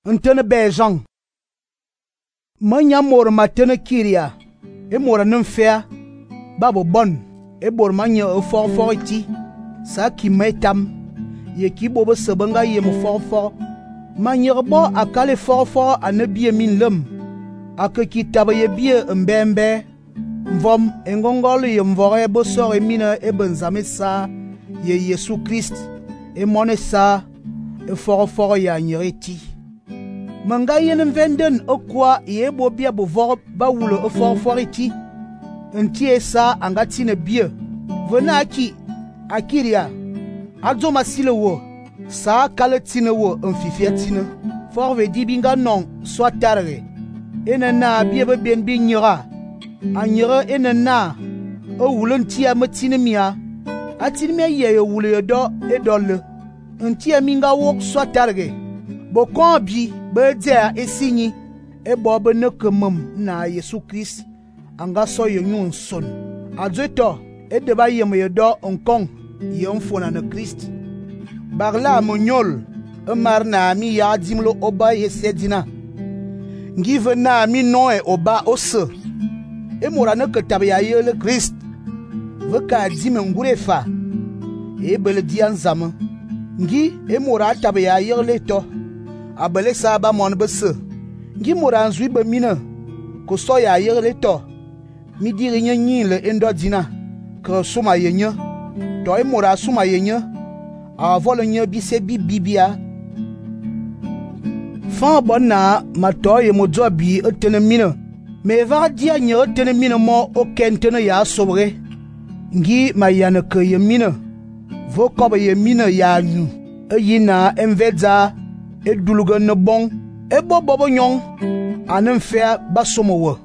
Ntene bejan. Manya mor matene kiria. E mora nfea. Babo bon. E bor manya for iti. Sa ki metam. Ye ki bobo sebanga ye mo for. Manya bo akale for ane bie min lem. Ake ki tabe ye bie mbembe. Mvom engongole ye mvore bo sore mina e benzame sa ye Yesu Christ. E mone sa e for ya nyereti. Manga yen venden okwa ye bo bia bo vor ba wulo e for iti. Ntie sa angati ne bie. Vena akiria. Adzo masile wo. Sa kale tine wo mfifia tine. For ve di binga non so tarre. Ene na bie be ben bi nyera. Anyere ene na o wulo ntia matine mia. Atine mia ye wulo do e dolle. Ntia minga wok so targe. Bo kon bi be dia esigni e bo be ne kemum na Yesu Christ anga so ye nyun son. Adzeto e de ba yem ye do onkong ye mfona na Christ. Barla monyol e marna mi ya dimlo oba ye sedina. Ngive na mi no e oba ose. E mora ne ketabe ya ye le Christ. Veka dime ngurefa. E bele dian zame. Ngi e mora tabe ya ye le to. Abele sa ba mon bese. Ngi mora nzui be mina. Ko so ya ye le to. Mi diri nye nyin le endo dina. Ke suma ye nye. To e mora suma ye nye. A vole nye bise bibia. Fan bon na ma to ye mo dzo bi etene mina. Me va dia nye etene mina mo o kentene ya sobre. Ngi ma yane ke ye mina. Vo kobe ye mina ya nyu. E yina envedza e duluge ne bon. E bobo nyong. Anen fea basomo wo.